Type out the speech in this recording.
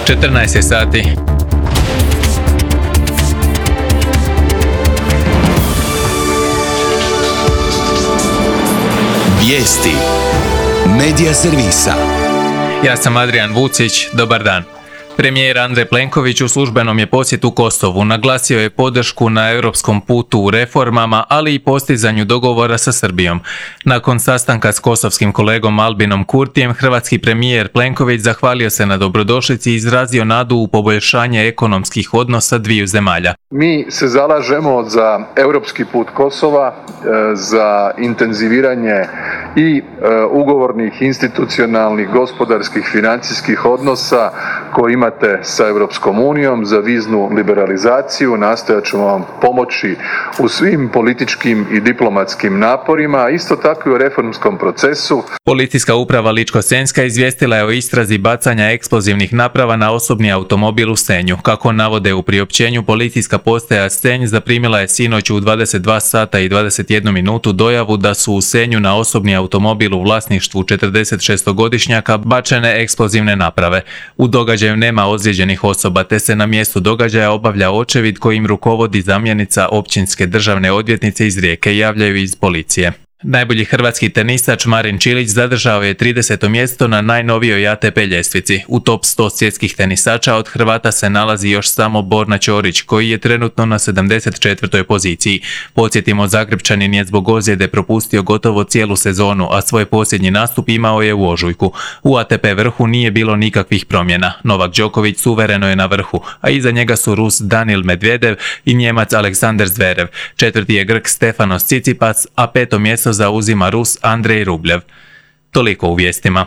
14 je sati. Vijesti Medija servisa. Ja sam Adrian Vucić, dobar dan. Premijer Andrej Plenković u službenom je posjetu Kosovu. Naglasio je podršku na europskom putu u reformama, ali i postizanju dogovora sa Srbijom. Nakon sastanka s kosovskim kolegom Albinom Kurtijem, hrvatski premijer Plenković zahvalio se na dobrodošlici i izrazio nadu u poboljšanje ekonomskih odnosa dviju zemalja. Mi se zalažemo za europski put Kosova, za intenziviranje i ugovornih, institucionalnih, gospodarskih, financijskih odnosa koje imate sa Europskom unijom, za viznu liberalizaciju. Nastojat ćemo vam pomoći u svim političkim i diplomatskim naporima, a isto tako i u reformskom procesu. Policijska uprava Ličko-senjska izvijestila je o istrazi bacanja eksplozivnih naprava na osobni automobil u Senju. Kako navode u priopćenju, policijska postaja Senj zaprimila je sinoć u 22 sata i 21 minutu dojavu da su u Senju na osobni automobil u vlasništvu 46-godišnjaka bačene eksplozivne naprave. U događaju nema ozlijeđenih osoba, te se na mjestu događaja obavlja očevid kojim rukovodi zamjenica općinske državne odvjetnice iz Rijeke, javljaju iz policije. Najbolji hrvatski tenisač Marin Čilić zadržao je 30. mjesto na najnovijoj ATP ljestvici. U top 100 svjetskih tenisača od Hrvata se nalazi još samo Borna Ćorić, koji je trenutno na 74. poziciji. Podsjetimo, Zagrepčanin je zbog ozljede propustio gotovo cijelu sezonu, a svoj posljednji nastup imao je u ožujku. U ATP vrhu nije bilo nikakvih promjena. Novak Đoković suvereno je na vrhu, a iza njega su Rus Danil Medvedev i Njemac Aleksander Zverev. Četvrti je Grk Stefanos Tsitsipas, a peto mjesto zauzima Rus Andrej Rublev. Toliko u vijestima.